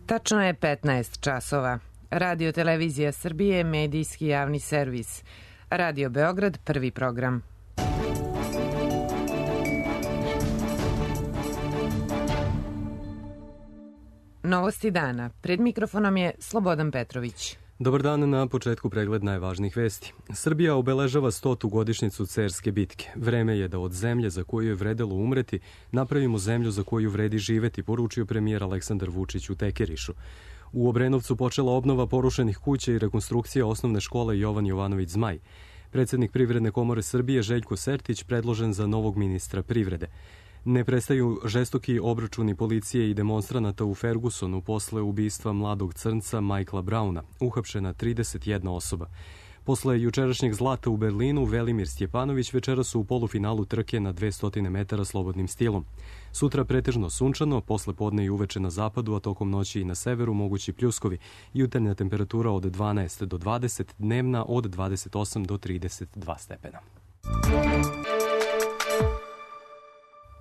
Tačno je 15 časova. Radio Televizija Srbije, medijski javni servis. Radio Beograd, prvi program. Novosti dana. Pred mikrofonom je Slobodan Petrović. Dobar dan, na početku pregled najvažnijih vesti. Srbija obeležava 100. godišnjicu Cerske bitke. Vreme je da od zemlje za koju je vredelo umreti napravimo zemlju za koju vredi živeti, poručio premijer Aleksandar Vučić u Tekerišu. U Obrenovcu počela obnova porušenih kuća i rekonstrukcija osnovne škole Jovan Jovanović Zmaj. Predsednik Privredne komore Srbije Željko Sertić predložen za novog ministra privrede. Ne prestaju žestoki obračuni policije i demonstranata u Fergusonu posle ubistva mladog crnca Michaela Browna, uhapšena 31 osoba. Posle jučerašnjeg zlata u Berlinu, Velimir Stjepanović večeras su u polufinalu trke na 200 metara slobodnim stilom. Sutra pretežno sunčano, posle podne i uveče na zapadu, a tokom noći i na severu mogući pljuskovi. Jutarnja temperatura od 12 do 20, dnevna od 28 do 32 stepena.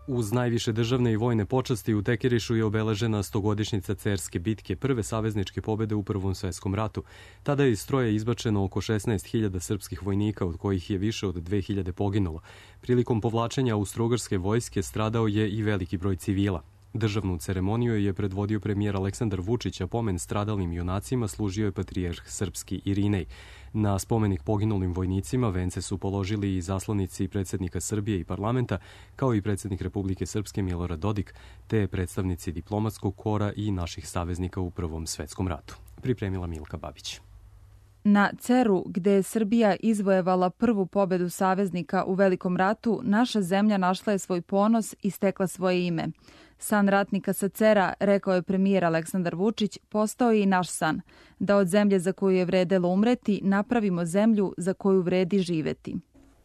Uz najviše državne i vojne počasti u Tekerišu je obeležena 100-godišnjica Cerske bitke, prve savezničke pobede u Prvom svetskom ratu. Tada je iz stroja izbačeno oko 16.000 srpskih vojnika, od kojih je više od 2.000 poginulo. Prilikom povlačenja austrougarske vojske stradao je i veliki broj civila. Državnu ceremoniju je predvodio premijer Aleksandar Vučić, a pomen stradalim junacima služio je patrijarh srpski Irinej. Na spomenik poginulim vojnicima vence su položili i zaslanici predsednika Srbije i parlamenta, kao i predsednik Republike Srpske Milorad Dodik, te predstavnici diplomatskog kora i naših saveznika u Prvom svetskom ratu. Pripremila Milka Babić. Na Ceru, gde je Srbija izvojevala prvu pobedu saveznika u Velikom ratu, naša zemlja našla je svoj ponos i stekla svoje ime. San ratnika sa Cera, rekao je premijer Aleksandar Vučić, postao je i naš san, da od zemlje za koju je vredelo umreti napravimo zemlju za koju vredi živeti.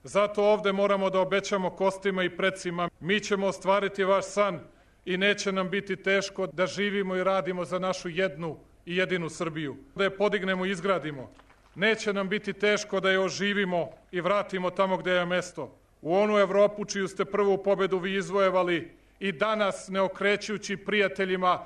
Zato ovde moramo da obećamo kostima i precima. Mi ćemo ostvariti vaš san i neće nam biti teško da živimo i radimo za našu jednu i jedinu Srbiju. Da je podignemo i izgradimo. Neće nam biti teško da je oživimo i vratimo tamo gde je mesto. U onu Evropu čiju ste prvu pobedu vi izvojevali i danas ne okrećući prijateljima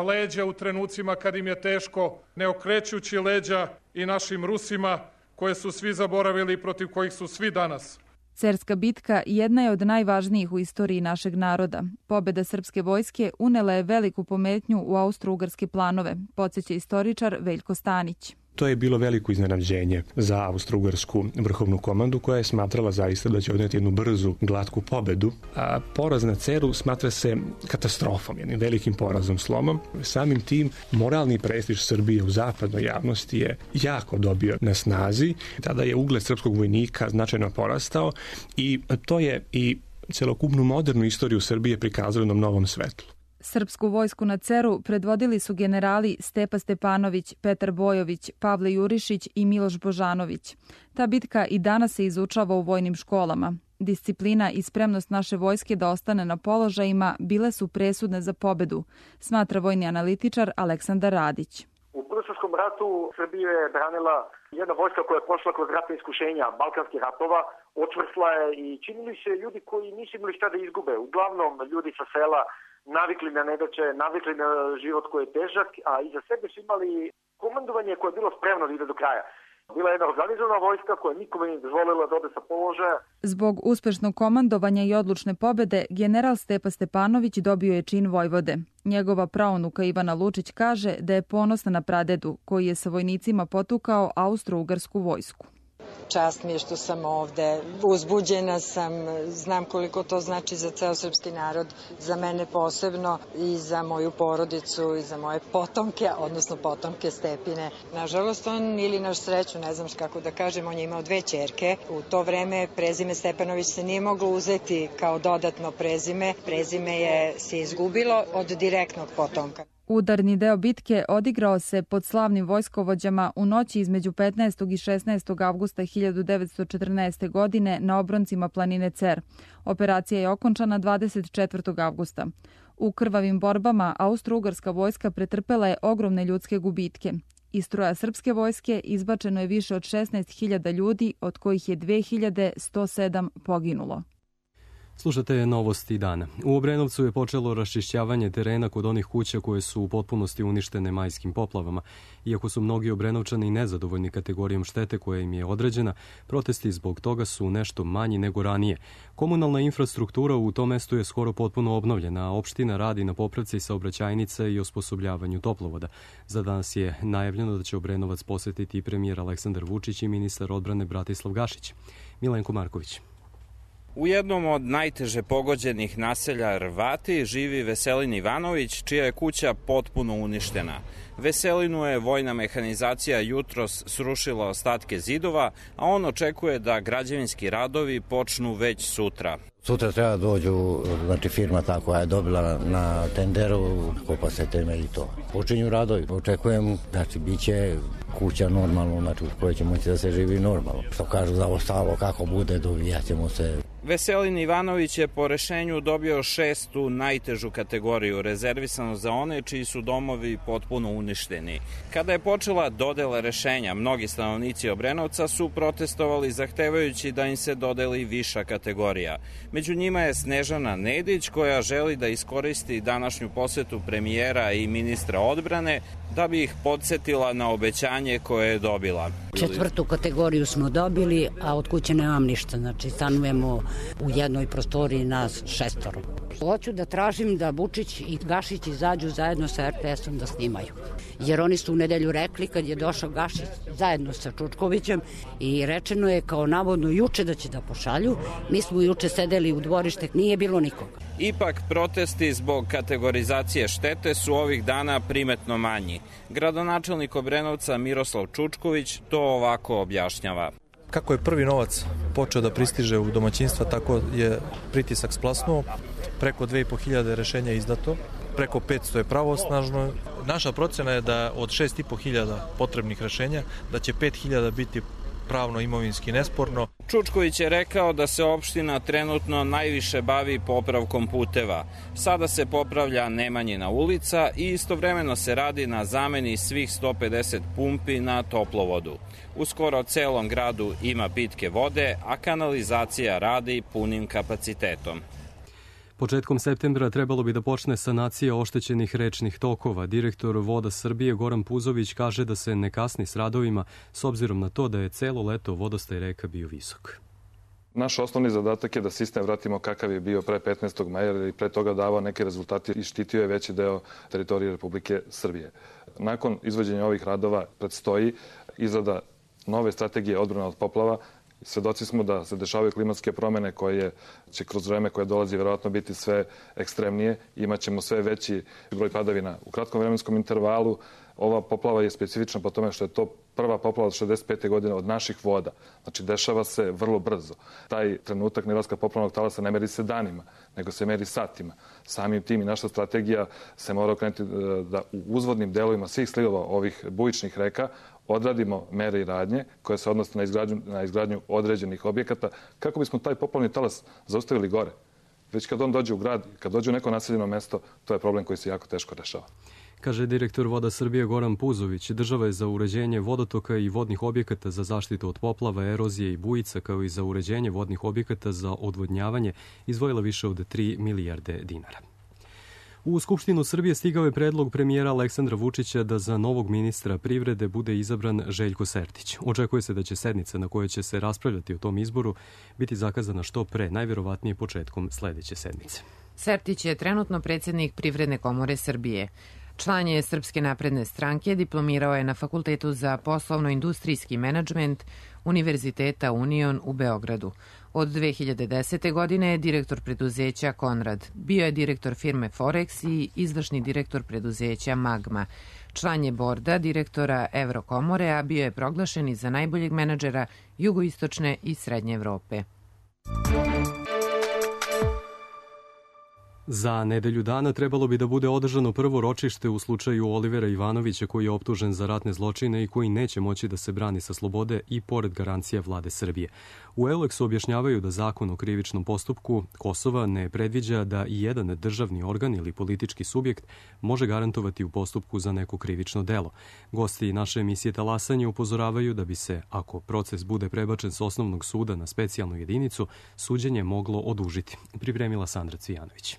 leđa u trenucima kad im je teško, ne okrećući leđa i našim Rusima koje su svi zaboravili i protiv kojih su svi danas. Cerska bitka jedna je od najvažnijih u istoriji našeg naroda. Pobeda srpske vojske unela je veliku pometnju u austrougarske planove, podsjeća istoričar Veljko Stanić. To je bilo veliko iznenađenje za austrougarsku vrhovnu komandu koja je smatrala zaista da će odneti jednu brzu, glatku pobedu. A poraz na Ceru smatra se katastrofom, jednim velikim porazom, slomom. Samim tim moralni prestiž Srbije u zapadnoj javnosti je jako dobio na snazi. Tada je ugled srpskog vojnika značajno porastao i to je i celokupnu modernu istoriju Srbije prikazalo na novom svetlu. Srpsku vojsku na Ceru predvodili su generali Stepa Stepanović, Petar Bojović, Pavle Jurišić i Miloš Božanović. Ta bitka i danas se izučava u vojnim školama. Disciplina i spremnost naše vojske da ostane na položajima bile su presudne za pobedu, smatra vojni analitičar Aleksandar Radić. U Prvom ratu Srbija je branila jedna vojska koja je prošla kroz ratne iskušenja balkanskih ratova, očvrsla je i činili se ljudi koji nisu imali šta da izgube. Uglavnom ljudi sa sela navikli na nedaće, navikli na život koji je težak, a iza sebe su imali komandovanje koje je bilo spremno da ide do kraja. Bila je jedna organizovana vojska koja nikome nije dozvolila da ode sa položaja. Zbog uspešnog komandovanja i odlučne pobede, general Stepa Stepanović dobio je čin vojvode. Njegova praunuka Ivana Lučić kaže da je ponosna na pradedu, koji je sa vojnicima potukao austrougarsku vojsku. Čast mi je što sam ovde, uzbuđena sam, znam koliko to znači za ceo srpski narod, za mene posebno i za moju porodicu i za moje potomke, odnosno potomke Stepine. Nažalost, on ili naš sreću, ne znam kako da kažem, on je imao 2 ćerke. U to vreme prezime Stepanović se nije moglo uzeti kao dodatno prezime. Prezime se izgubilo od direktnog potomka. Udarni deo bitke odigrao se pod slavnim vojskovođama u noći između 15. i 16. avgusta 1914. godine na obroncima planine Cer. Operacija je okončana 24. avgusta. U krvavim borbama austrougarska vojska pretrpela je ogromne ljudske gubitke. Iz stroja srpske vojske izbačeno je više od 16.000 ljudi, od kojih je 2.107 poginulo. Slušate novosti dana. U Obrenovcu je počelo raščišćavanje terena kod onih kuća koje su u potpunosti uništene majskim poplavama. Iako su mnogi Obrenovčani nezadovoljni kategorijom štete koja im je određena, protesti zbog toga su nešto manji nego ranije. Komunalna infrastruktura u tom mestu je skoro potpuno obnovljena, a opština radi na popravci saobraćajnica i osposobljavanju toplovoda. Za danas je najavljeno da će Obrenovac posetiti i premijer Aleksandar Vučić i ministar odbrane Bratislav Gašić. Milenko Marković. U jednom od najteže pogođenih naselja Rvati živi Veselin Ivanović, čija je kuća potpuno uništena. Veselinu je vojna mehanizacija jutros srušila ostatke zidova, a on očekuje da građevinski radovi počnu već sutra. Sutra treba dođu, znači firma ta koja je dobila na tenderu, kopa se temelj i to. Počinju radovi, očekujem, znači bit će kuća normalno, znači u kojoj će moći da se živi normalno. Što kažu za ostalo, kako bude, dovijat ćemo se. Veselin Ivanović je po rešenju dobio 6. najtežu kategoriju, rezervisano za one čiji su domovi potpuno uništeni. Kada je počela dodela rešenja, mnogi stanovnici Obrenovca su protestovali zahtevajući da im se dodeli viša kategorija. Među njima je Snežana Nedić, koja želi da iskoristi današnju posetu premijera i ministra odbrane da bi ih podsetila na obećanje koje je dobila. 4. kategoriju smo dobili, a od kuće nemam ništa, znači stanujemo u jednoj prostoriji nas 6. Hoću da tražim da Vučić i Gašić izađu zajedno sa RTS-om da snimaju. Jer oni su u nedelju rekli kad je došao Gašić zajedno sa Čučkovićem i rečeno je kao navodno juče da će da pošalju. Mi smo juče sedeli u dvorište, nije bilo nikoga. Ipak protesti zbog kategorizacije štete su ovih dana primetno manji. Gradonačelnik Obrenovca Miroslav Čučković to ovako objašnjava. Kako je prvi novac počeo da pristiže u domaćinstva, tako je pritisak splasnuo. Preko 2500 rešenja izdato, preko 500 je pravosnažno. Naša procena je da od 6500 potrebnih rešenja, da će 5000 biti pravno imovinski nesporno. Čučković je rekao da se opština trenutno najviše bavi popravkom puteva. Sada se popravlja Nemanjina ulica i istovremeno se radi na zameni svih 150 pumpi na toplovodu. U skoro celom gradu ima pitke vode, a kanalizacija radi punim kapacitetom. Početkom septembra trebalo bi da počne sanacija oštećenih rečnih tokova. Direktor Voda Srbije Goran Puzović kaže da se ne kasni s radovima s obzirom na to da je celo leto vodostaj reka bio visok. Naš osnovni zadatak je da sistem vratimo kakav je bio pre 15. maja jer i pre toga davao neke rezultate i štitio je veći deo teritorije Republike Srbije. Nakon izvođenja ovih radova predstoji izrada nove strategije odbrane od poplava. Svedoci smo da se dešavaju klimatske promene koje će kroz vreme koje dolazi verovatno biti sve ekstremnije. Imaćemo sve veći broj padavina u kratkom vremenskom intervalu. Ova poplava je specifična po tome što je to prva poplava od 65. godine od naših voda. Znači, dešava se vrlo brzo. Taj trenutak neilaska poplavnog talasa ne meri se danima, nego se meri satima. Samim tim i naša strategija se mora okrenuti da u uzvodnim delovima svih slivova ovih bujičnih reka odradimo mere i radnje koje se odnose na izgradnju određenih objekata kako bismo taj poplavni talas zaustavili gore. Već kad on dođe u grad, kad dođe u neko naseljeno mesto, to je problem koji se jako teško rešava. Kaže direktor Voda Srbije Goran Puzović, država je za uređenje vodotoka i vodnih objekata za zaštitu od poplava, erozije i bujica, kao i za uređenje vodnih objekata za odvodnjavanje, izdvojila više od 3 milijarde dinara. U Skupštinu Srbije stigao je predlog premijera Aleksandra Vučića da za novog ministra privrede bude izabran Željko Sertić. Očekuje se da će sednica na kojoj će se raspravljati o tom izboru biti zakazana što pre, najverovatnije početkom sledeće sedmice. Sertić je trenutno predsjednik Privredne komore Srbije. Član je Srpske napredne stranke, diplomirao je na Fakultetu za poslovno-industrijski menadžment Univerziteta Union u Beogradu. Od 2010. godine je direktor preduzeća Konrad. Bio je direktor firme Forex i izvršni direktor preduzeća Magma. Član je borda direktora Evrokomore, a bio je proglašen i za najboljeg menadžera jugoistočne i srednje Evrope. Za nedelju dana trebalo bi da bude održano prvo ročište u slučaju Olivera Ivanovića, koji je optužen za ratne zločine i koji neće moći da se brani sa slobode i pored garancija vlade Srbije. U Euleksu objašnjavaju da zakon o krivičnom postupku Kosova ne predviđa da i jedan državni organ ili politički subjekt može garantovati u postupku za neko krivično delo. Gosti naše emisije Talasanje upozoravaju da bi se, ako proces bude prebačen s osnovnog suda na specijalnu jedinicu, suđenje moglo odužiti. Pripremila Sandra Cvijanović.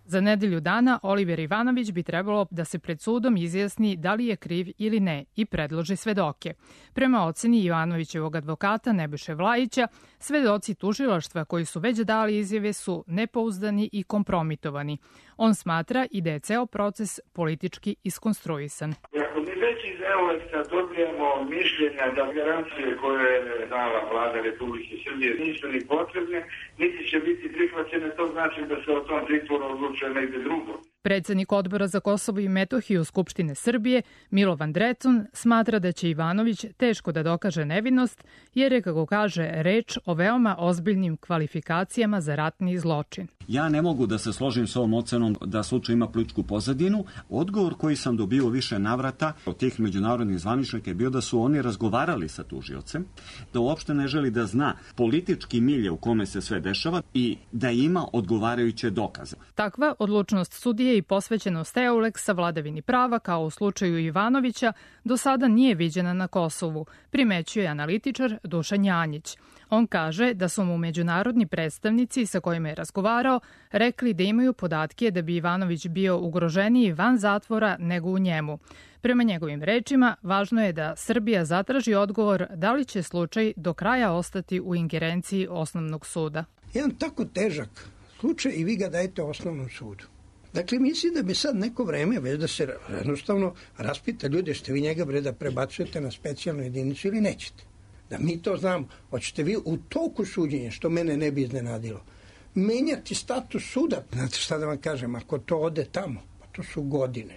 Za nedelju dana Oliver Ivanović bi trebalo da se pred sudom izjasni da li je kriv ili ne i predloži svedoke. Prema oceni Ivanovićevog advokata Nebojše Vlajića, svedoci tužilaštva koji su već dali izjave su nepouzdani i kompromitovani. On smatra i da je ceo proces politički iskonstruisan. Ako mi već iz Euleksa dobijemo mišljenja da garancije koje je dala vlada Republike Srbije nisu ni potrebne, niti će biti prihvaćene, to znači da se o tom pritvoru odlučuje negde drugo. Predsednik Odbora za Kosovo i Metohiju Skupštine Srbije, Milovan Drecun, smatra da će Ivanović teško da dokaže nevinost, jer je, kako kaže, reč o veoma ozbiljnim kvalifikacijama za ratni zločin. Ja ne mogu da se složim s ovom ocenom da slučaj ima političku pozadinu. Odgovor koji sam dobio više navrata od tih međunarodnih zvaničnika je bio da su oni razgovarali sa tužiocem, da uopšte ne želi da zna politički milje u kome se sve dešava i da ima odgovarajuće dokaze. Takva odlučnost sudije i posvećenost Euleksa vladavini prava, kao u slučaju Ivanovića, do sada nije viđena na Kosovu, primećuje analitičar Dušan Janjić. On kaže da su mu međunarodni predstavnici sa kojima je razgovarao rekli da imaju podatke da bi Ivanović bio ugroženiji van zatvora nego u njemu. Prema njegovim rečima, važno je da Srbija zatraži odgovor da li će slučaj do kraja ostati u ingerenciji osnovnog suda. Jedan tako težak slučaj i vi ga dajete osnovnom sudu. Dakle, mislim da bi sad neko vreme već da se jednostavno raspita ljude, ste vi njega da prebacujete na specijalnu jedinicu ili nećete. Da mi to znamo. Hoćete vi u toku suđenja, što mene ne bi iznenadilo, menjati status suda. Znate šta da vam kažem, ako to ode tamo, pa to su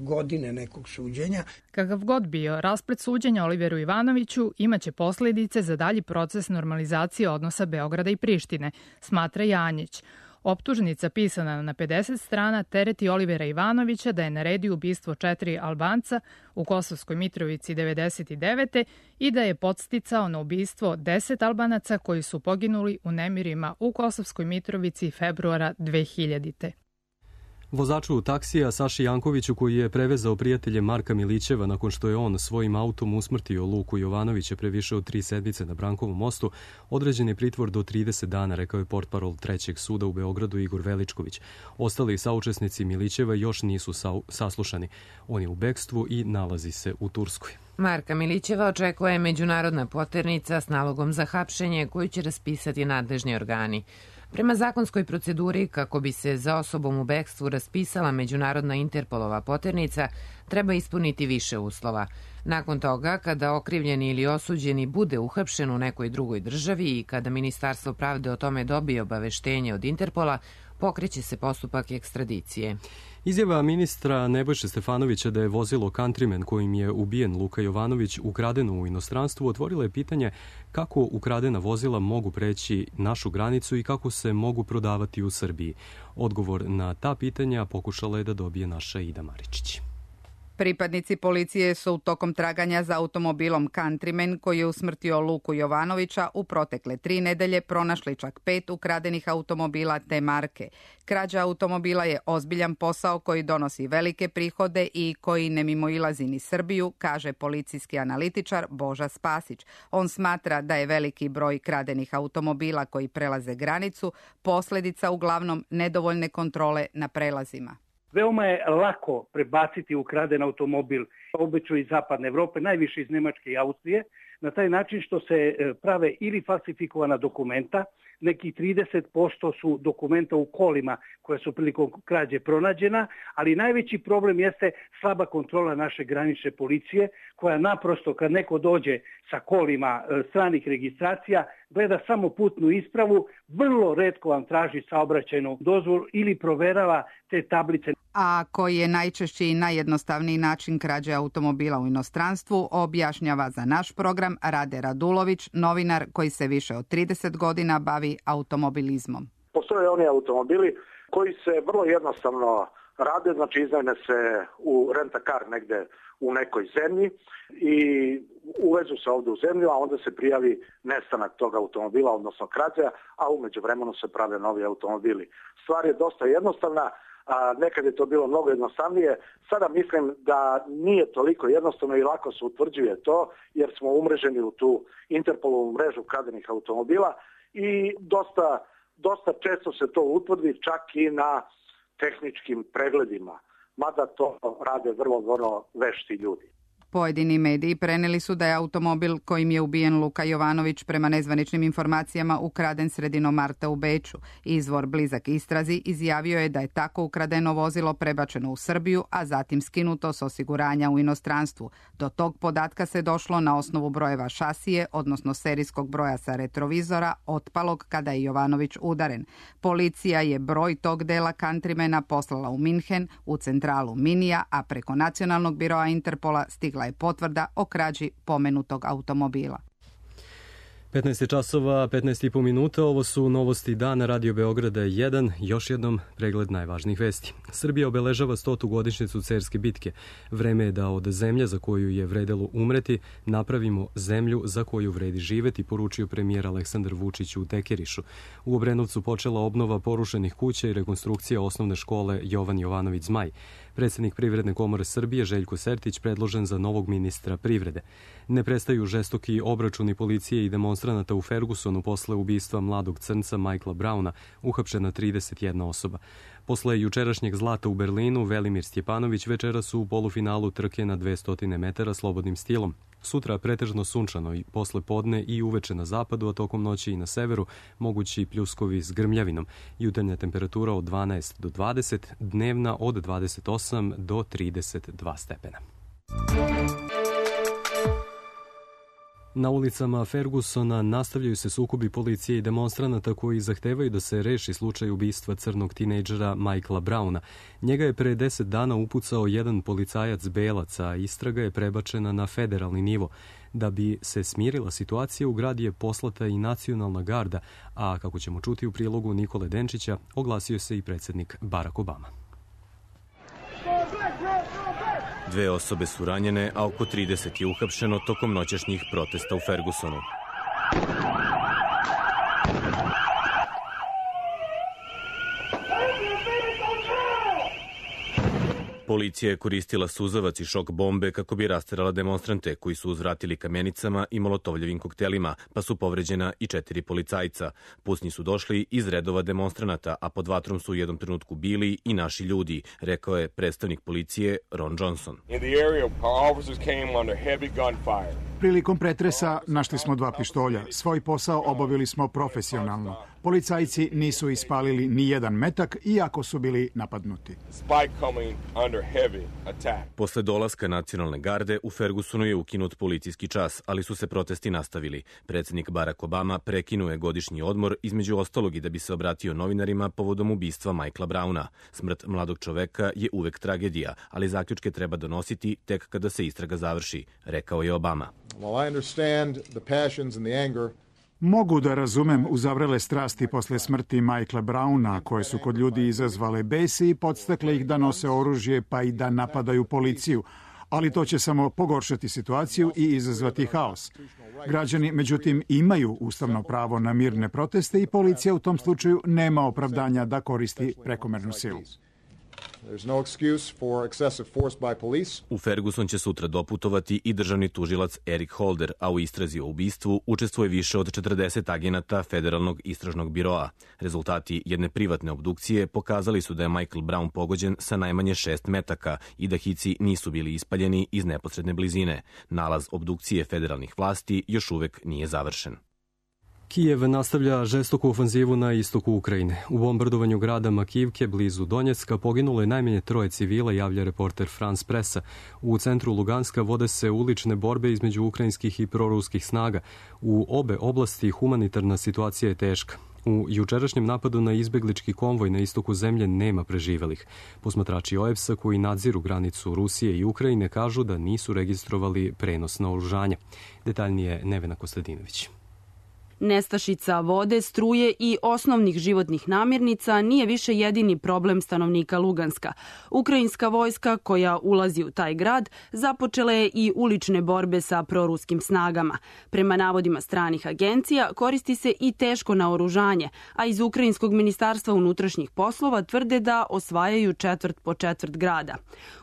godine nekog suđenja. Kakav god bio rasplet suđenja Oliveru Ivanoviću imaće posledice za dalji proces normalizacije odnosa Beograda i Prištine, smatra Janjić. Optužnica pisana na 50 strana tereti Olivera Ivanovića da je naredio ubistvo 4 Albanca u Kosovskoj Mitrovici 99. i da je podsticao na ubistvo 10 Albanaca koji su poginuli u nemirima u Kosovskoj Mitrovici februara 2000. Vozaču taksija Saši Jankoviću, koji je prevezao prijatelje Marka Milićeva nakon što je on svojim autom usmrtio Luku Jovanovića pre više od 3 sedmice na Brankovom mostu, određen je pritvor do 30 dana, rekao je portparol Trećeg suda u Beogradu Igor Veličković. Ostali saučesnici Milićeva još nisu saslušani. On je u bekstvu i nalazi se u Turskoj. Marka Milićeva očekuje međunarodna poternica s nalogom za hapšenje koju će raspisati nadležni organi. Prema zakonskoj proceduri, kako bi se za osobom u bekstvu raspisala međunarodna Interpolova poternica, treba ispuniti više uslova. Nakon toga, kada okrivljeni ili osuđeni bude uhapšen u nekoj drugoj državi i kada Ministarstvo pravde o tome dobije obaveštenje od Interpola, pokreće se postupak ekstradicije. Izjava ministra Nebojše Stefanovića da je vozilo Countryman kojim je ubijen Luka Jovanović ukradeno u inostranstvu otvorilo je pitanje kako ukradena vozila mogu preći našu granicu i kako se mogu prodavati u Srbiji. Odgovor na ta pitanja pokušala je da dobije naša Ida Maričić. Pripadnici policije su tokom traganja za automobilom Countryman koji je usmrtio Luku Jovanovića u protekle 3 nedelje pronašli čak 5 ukradenih automobila te marke. Krađa automobila je ozbiljan posao koji donosi velike prihode i koji ne mimoilazi ni Srbiju, kaže policijski analitičar Boža Spasić. On smatra da je veliki broj kradenih automobila koji prelaze granicu posledica uglavnom nedovoljne kontrole na prelazima. Veoma je lako prebaciti ukraden automobil, obično iz zapadne Evrope, najviše iz Nemačke i Austrije, na taj način što se prave ili falsifikovana dokumenta, nekih 30% su dokumenta u kolima koja su prilikom krađe pronađena, ali najveći problem jeste slaba kontrola naše granične policije, koja naprosto kad neko dođe sa kolima stranih registracija, gleda samo putnu ispravu, vrlo retko vam traži saobraćajnu dozvolu ili proverava te tablice. A koji je najčešći i najjednostavniji način krađe automobila u inostranstvu, objašnjava za naš program Rade Radulović, novinar koji se više od 30 godina bavi automobilizmom. Postoje oni automobili koji se vrlo jednostavno rade, znači iznajme se u rent-a-car negde u nekoj zemlji i uvezu se ovde u zemlju, a onda se prijavi nestanak tog automobila, odnosno krađa, a umeđu vremenu se prave novi automobili. Stvar je dosta jednostavna, nekad je to bilo mnogo jednostavnije, sada mislim da nije toliko jednostavno i lako se utvrđuje to, jer smo umreženi u tu Interpolovu mrežu kradenih automobila i dosta često se to utvrdi čak i na tehničkim pregledima, mada to rade vrlo vešti ljudi. Pojedini mediji preneli su da je automobil kojim je ubijen Luka Jovanović prema nezvaničnim informacijama ukraden sredinom marta u Beču. Izvor blizak istrazi izjavio je da je tako ukradeno vozilo prebačeno u Srbiju, a zatim skinuto s osiguranja u inostranstvu. Do tog podatka se došlo na osnovu brojeva šasije, odnosno serijskog broja sa retrovizora, otpalog kada je Jovanović udaren. Policija je broj tog dela Countrymana poslala u Minhen, u centralu Minija, a preko nacionalnog biroa Interpola stigla je potvrda o krađi pomenutog automobila. 15 časova, 15,5 minuta, ovo su novosti dana Radio Beograda 1, još jednom pregled najvažnijih vesti. Srbija obeležava 100. godišnjicu Cerske bitke. Vreme je da od zemlje za koju je vredelo umreti napravimo zemlju za koju vredi živeti, poručio premijer Aleksandar Vučić u Tekerišu. U Obrenovcu počela obnova porušenih kuća i rekonstrukcija osnovne škole Jovan Jovanović Zmaj. Predsednik Privredne komore Srbije Željko Sertić predložen za novog ministra privrede. Ne prestaju žestoki obračuni policije i demonstranata u Fergusonu posle ubistva mladog crnca Michaela Browna, uhapšena 31 osoba. Posle jučerašnjeg zlata u Berlinu, Velimir Stjepanović večeras u polufinalu trke na 200 metara slobodnim stilom. Sutra pretežno sunčano i posle podne i uveče na zapadu, a tokom noći i na severu mogući pljuskovi s grmljavinom. Jutarnja temperatura od 12 do 20, dnevna od 28 do 32 stepena. Na ulicama Fergusona nastavljaju se sukobi policije i demonstranata koji zahtevaju da se reši slučaj ubistva crnog tinejdžera Michaela Browna. Njega je pre 10 dana upucao jedan policajac belac, a istraga je prebačena na federalni nivo. Da bi se smirila situacija, u grad je poslata i nacionalna garda, a kako ćemo čuti u prilogu Nikole Denčića, oglasio se i predsednik Barack Obama. 2 osobe su ranjene, a oko 30 je uhapšeno tokom noćašnjih protesta u Fergusonu. Policija je koristila suzavac i šok bombe kako bi rasterala demonstrante koji su uzvratili kamenicama i molotovljevim koktelima, pa su povređena i 4 policajca. Pucnji su došli iz redova demonstranata, a pod vatrom su u jednom trenutku bili i naši ljudi, rekao je predstavnik policije Ron Johnson. Prilikom pretresa našli smo 2 pištolja. Svoj posao obavili smo profesionalno. Policajci nisu ispalili ni jedan metak, iako su bili napadnuti. Posle dolaska nacionalne garde u Fergusonu je ukinut policijski čas, ali su se protesti nastavili. Predsednik Barack Obama prekinuo je godišnji odmor, između ostalog i da bi se obratio novinarima povodom ubistva Michaela Browna. Smrt mladog čoveka je uvek tragedija, ali zaključke treba donositi tek kada se istraga završi, rekao je Obama. Mogu da razumem uzavrele strasti posle smrti Michaela Browna, koje su kod ljudi izazvale bes i podstakle ih da nose oružje pa i da napadaju policiju, ali to će samo pogoršati situaciju i izazvati haos. Građani, međutim, imaju ustavno pravo na mirne proteste i policija u tom slučaju nema opravdanja da koristi prekomernu silu. U Ferguson će sutra doputovati i državni tužilac Eric Holder, a u istrazi o ubistvu učestvuje više od 40 agenata Federalnog istražnog biroa. Rezultati jedne privatne obdukcije pokazali su da je Michael Brown pogođen sa najmanje 6 metaka i da hici nisu bili ispaljeni iz neposredne blizine. Nalaz obdukcije federalnih vlasti još uvek nije završen. Kijev nastavlja žestoku ofanzivu na istoku Ukrajine. U bombardovanju grada Makivke, blizu Donjecka, poginulo je najmanje 3 civila, javlja reporter France Pressa. U centru Luganska vode se ulične borbe između ukrajinskih i proruskih snaga. U obe oblasti humanitarna situacija je teška. U jučerašnjem napadu na izbeglički konvoj na istoku zemlje nema preživelih. Posmatrači OEBS-a koji nadziru granicu Rusije i Ukrajine kažu da nisu registrovali prenos naoružanja. Detaljnije Nevena Kostadinović. Nestašica vode, struje i osnovnih životnih namirnica nije više jedini problem stanovnika Luganska. Ukrajinska vojska koja ulazi u taj grad započela je i ulične borbe sa proruskim snagama. Prema navodima stranih agencija koristi se i teško naoružanje, a iz Ukrajinskog ministarstva unutrašnjih poslova tvrde da osvajaju četvrt po četvrt grada.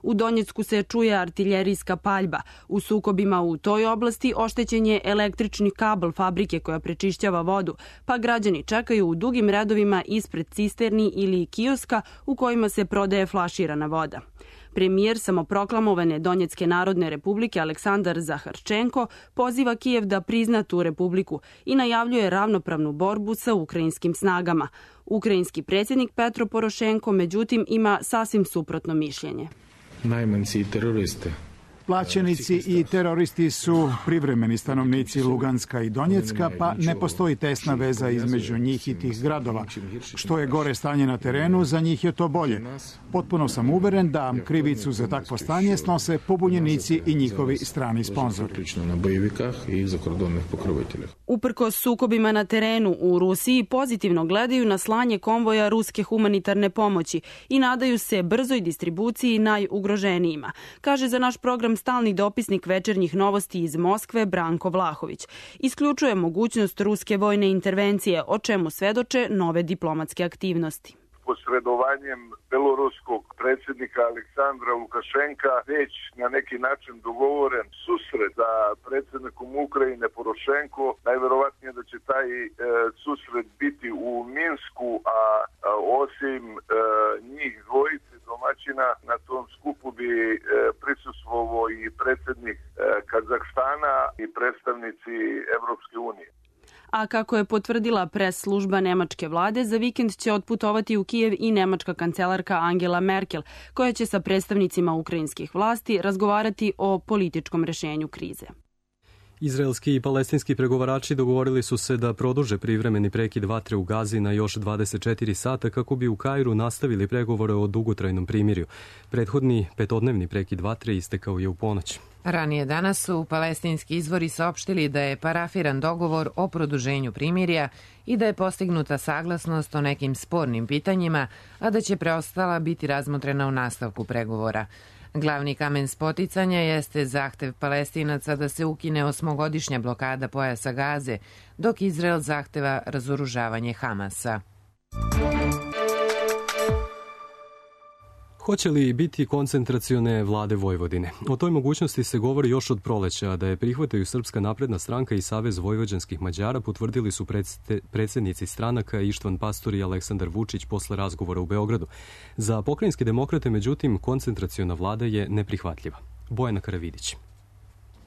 U Donjecku se čuje artiljerijska paljba. U sukobima u toj oblasti oštećen je električni kabel fabrike koja prečišćava vodu, pa građani čekaju u dugim redovima ispred cisterni ili kioska u kojima se prodaje flaširana voda. Premijer samoproklamovane Donjecke narodne republike Aleksandar Zaharčenko poziva Kijev da prizna tu republiku i najavljuje ravnopravnu borbu sa ukrajinskim snagama. Ukrajinski predsjednik Petro Porošenko, međutim, ima sasvim suprotno mišljenje. Najmanci i teroriste. Plaćenici i teroristi su privremeni stanovnici Luganska i Donjecka, pa ne postoji tesna veza između njih i tih gradova. Što je gore stanje na terenu, za njih je to bolje. Potpuno sam uveren da krivicu za takvo stanje snose pobunjenici i njihovi strani sponzori. Uprkos sukobima na terenu u Rusiji pozitivno gledaju na slanje konvoja ruske humanitarne pomoći i nadaju se brzoj distribuciji najugroženijima, kaže za naš program stalni dopisnik Večernjih novosti iz Moskve Branko Vlahović. Isključuje mogućnost ruske vojne intervencije, o čemu svedoče nove diplomatske aktivnosti. Posredovanjem beloruskog predsjednika Aleksandra Lukašenka već na neki način dogovoren susret sa predsjednikom Ukrajine Porošenko. Najverovatnije da će taj susret biti u Minsku, a osim njih dvojice domaćina na tom skupu bi prisustvovao i predsjednik Kazahstana i predstavnici Evropske unije. A kako je potvrdila pres služba nemačke vlade, za vikend će otputovati u Kijev i nemačka kancelarka Angela Merkel, koja će sa predstavnicima ukrajinskih vlasti razgovarati o političkom rešenju krize. Izraelski i palestinski pregovarači dogovorili su se da produže privremeni prekid vatre u Gazi na još 24 sata kako bi u Kairu nastavili pregovore o dugotrajnom primirju. Prethodni petodnevni prekid vatre istekao je u ponoć. Ranije danas su palestinski izvori saopštili da je parafiran dogovor o produženju primirja i da je postignuta saglasnost o nekim spornim pitanjima, a da će preostala biti razmotrena u nastavku pregovora. Glavni kamen spoticanja jeste zahtev Palestinaca da se ukine 8-godišnja blokada pojasa Gaze, dok Izrael zahteva razoružavanje Hamasa. Hoće li biti koncentracione vlade Vojvodine? O toj mogućnosti se govori još od proleća, da je prihvataju Srpska napredna stranka i Savez vojvođanskih Mađara, potvrdili su predsjednici stranaka Ištvan Pastor i Aleksandar Vučić posle razgovora u Beogradu. Za pokrajinske demokrate, međutim, koncentraciona vlada je neprihvatljiva. Bojana Karavidić.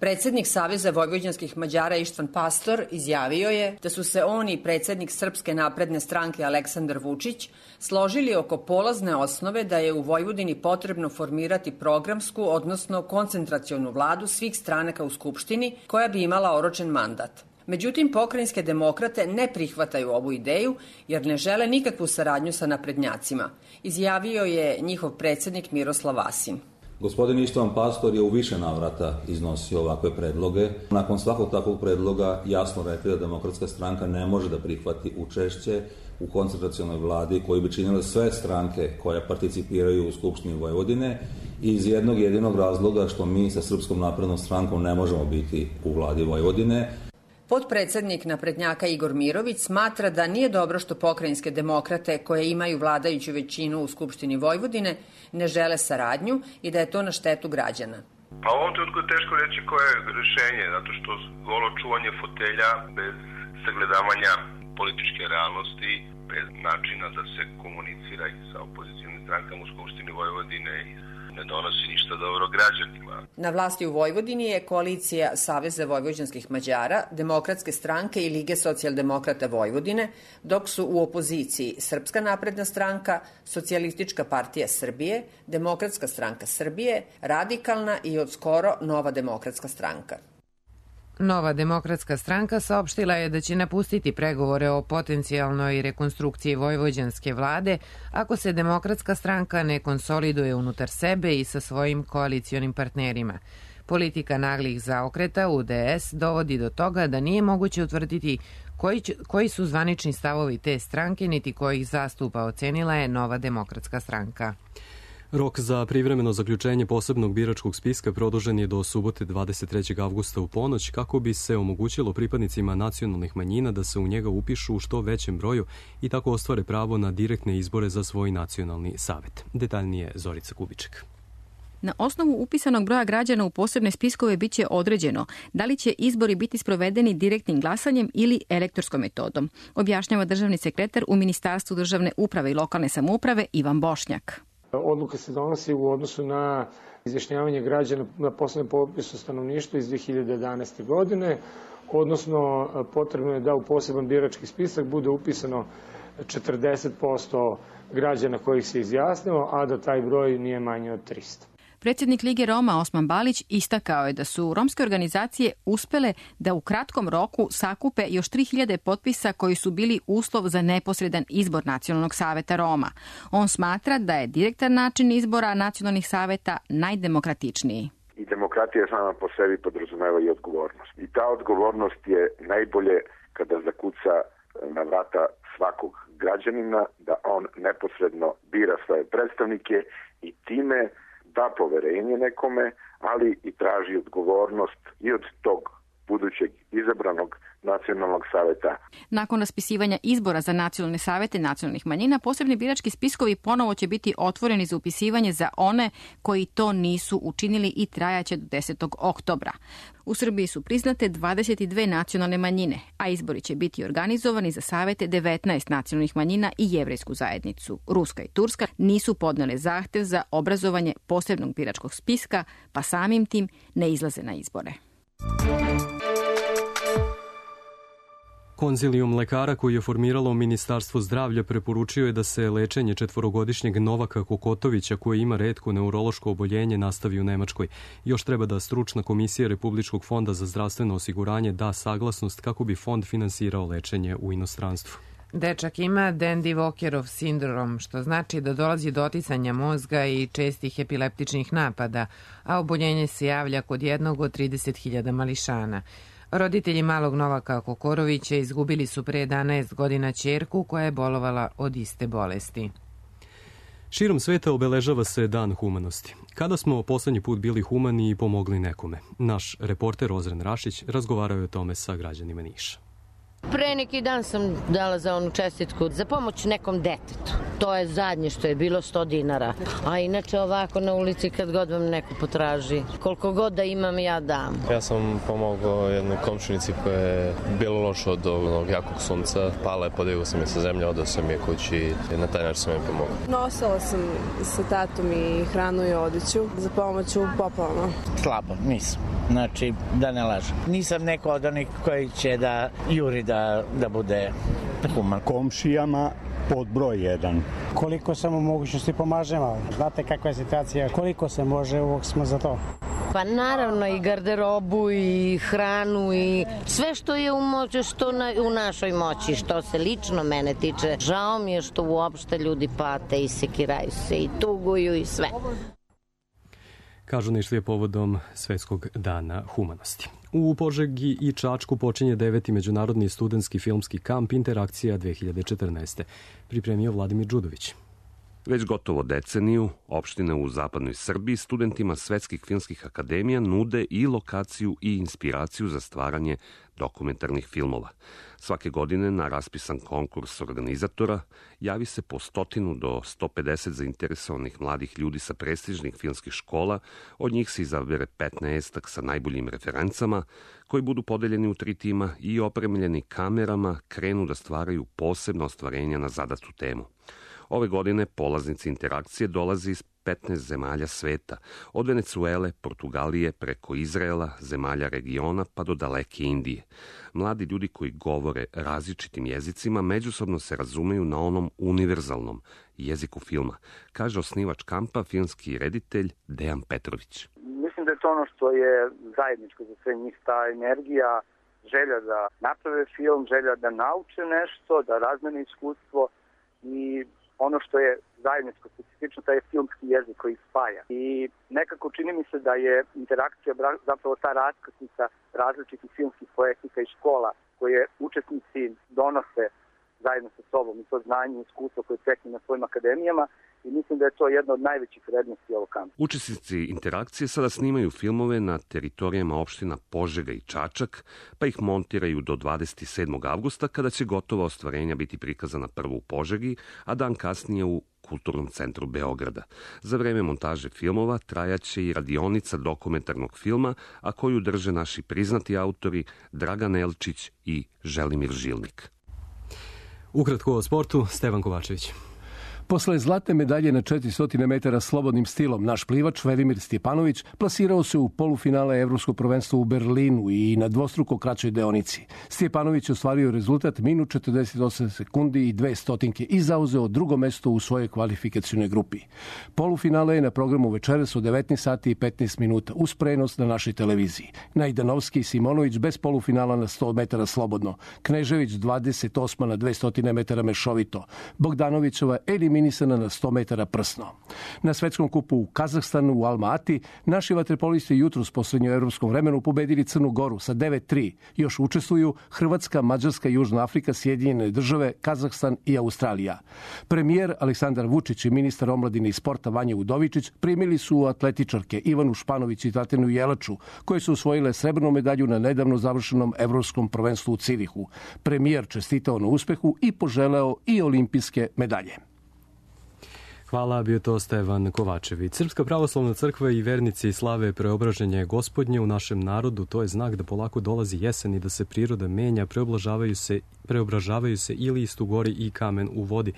Predsjednik Saveza vojvođanskih Mađara Ištvan Pastor izjavio je da su se on i predsjednik Srpske napredne stranke Aleksandar Vučić složili oko polazne osnove da je u Vojvodini potrebno formirati programsku, odnosno koncentracionu vladu svih stranaka u Skupštini koja bi imala oročen mandat. Međutim, pokrajinske demokrate ne prihvataju ovu ideju jer ne žele nikakvu saradnju sa naprednjacima, izjavio je njihov predsjednik Miroslav Vasin. Gospodin Ištvan Pastor je u više navrata iznosio ovakve predloge. Nakon svakog takvog predloga jasno rekli da Demokratska stranka ne može da prihvati učešće u koncentracionoj vladi koju bi činile sve stranke koje participiraju u Skupštini Vojvodine iz jednog jedinog razloga što mi sa Srpskom naprednom strankom ne možemo biti u vladi Vojvodine. Potpredsednik naprednjaka Igor Mirović smatra da nije dobro što pokrajinske demokrate koje imaju vladajuću većinu u Skupštini Vojvodine ne žele saradnju i da je to na štetu građana. Pa u ovom trenutku je teško reći koje je rešenje, zato što golo čuvanje fotelja bez sagledavanja političke realnosti, bez načina da se komunicira i sa opozicijnim strankama u Skupštini Vojvodine ne donosi ništa dobro građanima. Na vlasti u Vojvodini je koalicija Saveza vojvođanskih Mađara, Demokratske stranke i Lige socijaldemokrata Vojvodine, dok su u opoziciji Srpska napredna stranka, Socijalistička partija Srbije, Demokratska stranka Srbije, Radikalna i od skoro Nova demokratska stranka. Nova demokratska stranka saopštila je da će napustiti pregovore o potencijalnoj rekonstrukciji vojvođanske vlade ako se demokratska stranka ne konsoliduje unutar sebe i sa svojim koalicionim partnerima. Politika naglih zaokreta u DS dovodi do toga da nije moguće utvrditi Koji su zvanični stavovi te stranke, niti koji ih zastupa, ocenila je Nova demokratska stranka. Rok za privremeno zaključenje posebnog biračkog spiska produžen je do subote 23. avgusta u ponoć kako bi se omogućilo pripadnicima nacionalnih manjina da se u njega upišu u što većem broju i tako ostvare pravo na direktne izbore za svoj nacionalni savet. Detaljnije Zorica Kubiček. Na osnovu upisanog broja građana u posebne spiskove bit će određeno da li će izbori biti sprovedeni direktnim glasanjem ili elektronskom metodom, objašnjava državni sekretar u Ministarstvu državne uprave i lokalne samouprave Ivan Bošnjak. Odluka se donosi u odnosu na izjašnjavanje građana na poslednjem popisu stanovništva iz 2011. godine, odnosno potrebno je da u poseban birački spisak bude upisano 40% građana kojih se izjasnilo, a da taj broj nije manji od 300. Predsjednik Lige Roma Osman Balić istakao je da su romske organizacije uspele da u kratkom roku sakupe još 3000 potpisa koji su bili uslov za neposredan izbor Nacionalnog saveta Roma. On smatra da je direktan način izbora nacionalnih saveta najdemokratičniji. I demokratija sama po sebi podrazumeva i odgovornost. I ta odgovornost je najbolje kada zakuca na vrata svakog građanina, da on neposredno bira svoje predstavnike i time da poverenje nekome, ali i traži odgovornost i od tog budućeg izabranog nacionalnog saveta. Nakon raspisivanja izbora za nacionalne savete nacionalnih manjina, posebni birački spiskovi ponovo će biti otvoreni za upisivanje za one koji to nisu učinili i trajaće do 10. oktobra. U Srbiji su priznate 22 nacionalne manjine, a izbori će biti organizovani za savete 19 nacionalnih manjina i jevrejsku zajednicu. Ruska i Turska nisu podnele zahtev za obrazovanje posebnog biračkog spiska, pa samim tim ne izlaze na izbore. Konzilijum lekara koji je formiralo Ministarstvo zdravlja preporučio je da se lečenje 4-godišnjeg Novaka Kokotovića koji ima retko neurološko oboljenje nastavi u Nemačkoj. Još treba da stručna komisija Republičkog fonda za zdravstveno osiguranje da saglasnost kako bi fond finansirao lečenje u inostranstvu. Dečak ima Dandy Walkerov sindrom, što znači da dolazi do oticanja mozga i čestih epileptičnih napada, a oboljenje se javlja kod jednog od 30.000 mališana. Roditelji malog Novaka Kokorovića izgubili su pre 11 godina ćerku koja je bolovala od iste bolesti. Širom sveta obeležava se Dan humanosti. Kada smo poslednji put bili humani i pomogli nekome? Naš reporter Ozren Rašić razgovarao je o tome sa građanima Niša. Pre neki dan sam dala za onu čestitku za pomoć nekom detetu. To je zadnje što je bilo 100 dinara. A inače ovako na ulici kad god vam neko potraži. Koliko god da imam ja dam. Ja sam pomogao jednoj komšinici koja je bilo loša od onog jakog sunca. Pala je, podigao sam je sa zemlje, odao sam je kući i na taj način sam je pomogao. Nosila sam sa tatom i hranu i odeću za pomoć u poplavama. Slabo, nisam. Znači, da ne lažem. Nisam neko od onih koji će da juri da bude human. Komšijama pod broj 1. Koliko sam u mogućnosti pomažemo. Znate kakva je situacija, koliko se može, uvijek smo za to. Pa naravno i garderobu i hranu i sve što je u našoj moći, što se lično mene tiče. Žao mi je što uopšte ljudi pate i sekiraju se i tuguju i sve. Kažu Nišlije povodom Svetskog dana humanosti. U Požegi i Čačku počinje 9. međunarodni studentski filmski kamp Interakcija 2014. Pripremio Vladimir Đudović. Već gotovo deceniju, opštine u zapadnoj Srbiji studentima svetskih filmskih akademija nude i lokaciju i inspiraciju za stvaranje dokumentarnih filmova. Svake godine na raspisan konkurs organizatora javi se po 100 do 150 zainteresovanih mladih ljudi sa prestižnih filmskih škola, od njih se izabere 15 sa najboljim referencama, koji budu podeljeni u 3 tima i opremljeni kamerama krenu da stvaraju posebna ostvarenja na zadatu temu. Ove godine polaznici interakcije dolaze iz 15 zemalja sveta, od Venecuele, Portugalije, preko Izraela, zemalja regiona pa do daleke Indije. Mladi ljudi koji govore različitim jezicima međusobno se razumeju na onom univerzalnom jeziku filma, kaže osnivač kampa, filmski reditelj Dejan Petrović. Mislim da je to ono što je zajedničko za sve njih, ta energija, želja da naprave film, želja da nauče nešto, da razmene iskustvo i ono što je zajedničko specifično, taj je filmski jezik koji spaja. I nekako čini mi se da je interakcija zapravo ta raskrsnica različitih filmskih poetika i škola koje učesnici donose zajedno sa sobom i to znanje i iskustvo koje steknu na svojim akademijama i mislim da je to jedna od najvećih vrednosti ovog kampa. Učesnici interakcije sada snimaju filmove na teritorijama opština Požega i Čačak, pa ih montiraju do 27. avgusta kada će gotova ostvarenja biti prikazana prvo u Požegi, a dan kasnije u Kulturnom centru Beograda. Za vreme montaže filmova trajaće i radionica dokumentarnog filma, a koju drže naši priznati autori Dragan Elčić i Želimir Žilnik. Ukratko o sportu, Stevan Kovačević. Posle zlatne medalje na 400 metara slobodnim stilom, naš plivač Velimir Stjepanović plasirao se u polufinale Evropskog prvenstva u Berlinu i na dvostruko kraćoj deonici. Stjepanović ostvario rezultat minut 48 sekundi i 2 stotinke i zauzeo drugo mesto u svojoj kvalifikacionoj grupi. Polufinale je na programu večeras u 19 sati i 15 minuta uz prenos na našoj televiziji. Najdanovski i Simonović bez polufinala na 100 metara slobodno. Knežević 28 na 200 metara mešovito. Bogdanovićova eliminisana na 100 metara prsno. Na svetskom kupu u Kazahstanu u Alma-Ati naši vaterpolisti jutros poslednju evropskom vremenu pobedili Crnu Goru sa 9-3. Još učestvuju Hrvatska, Mađarska, Južna Afrika, Sjedinjene države, Kazahstan i Australija. Premijer Aleksandar Vučić i ministar omladine i sporta Vanja Udovičić primili su atletičarke Ivanu Španović i Tatjanu Jelaču, koje su osvojile srebrnu medalju na nedavno završenom evropskom prvenstvu u Cirihu. Premijer čestitao na uspehu i poželeo i olimpijske medalje. Hvala, bio to Stevan Kovačević. Srpska pravoslavna crkva i vernici slave preobraženje Gospodnje u našem narodu. To je znak da polako dolazi jesen i da se priroda menja, preobražavaju se i list u gori i kamen u vodi.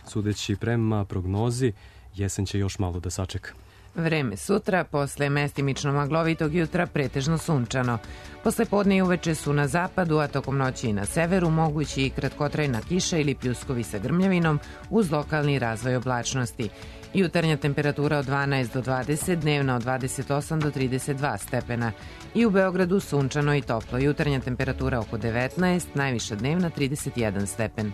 Sudeći prema prognozi, jesen će još malo da sačeka. Vreme sutra, posle mestimično maglovitog jutra, pretežno sunčano. Posle podne i uveče su na zapadu, a tokom noći i na severu mogući i kratkotrajna kiša ili pljuskovi sa grmljavinom uz lokalni razvoj oblačnosti. Jutarnja temperatura od 12 do 20, dnevna od 28 do 32 stepena. I u Beogradu sunčano i toplo. Jutarnja temperatura oko 19, najviša dnevna 31 stepen.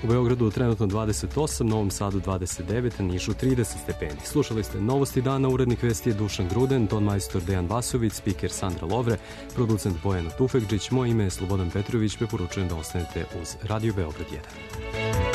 U Beogradu trenutno 28, Novom Sadu 29, Nišu 30 stepeni. Slušali ste Novosti dana, urednik vesti je Dušan Gruden, ton majstor Dejan Vasović, spiker Sandra Lovre, producent Bojana Tufekđić, moje ime je Slobodan Petrović, preporučujem da ostanete uz Radio Beograd 1.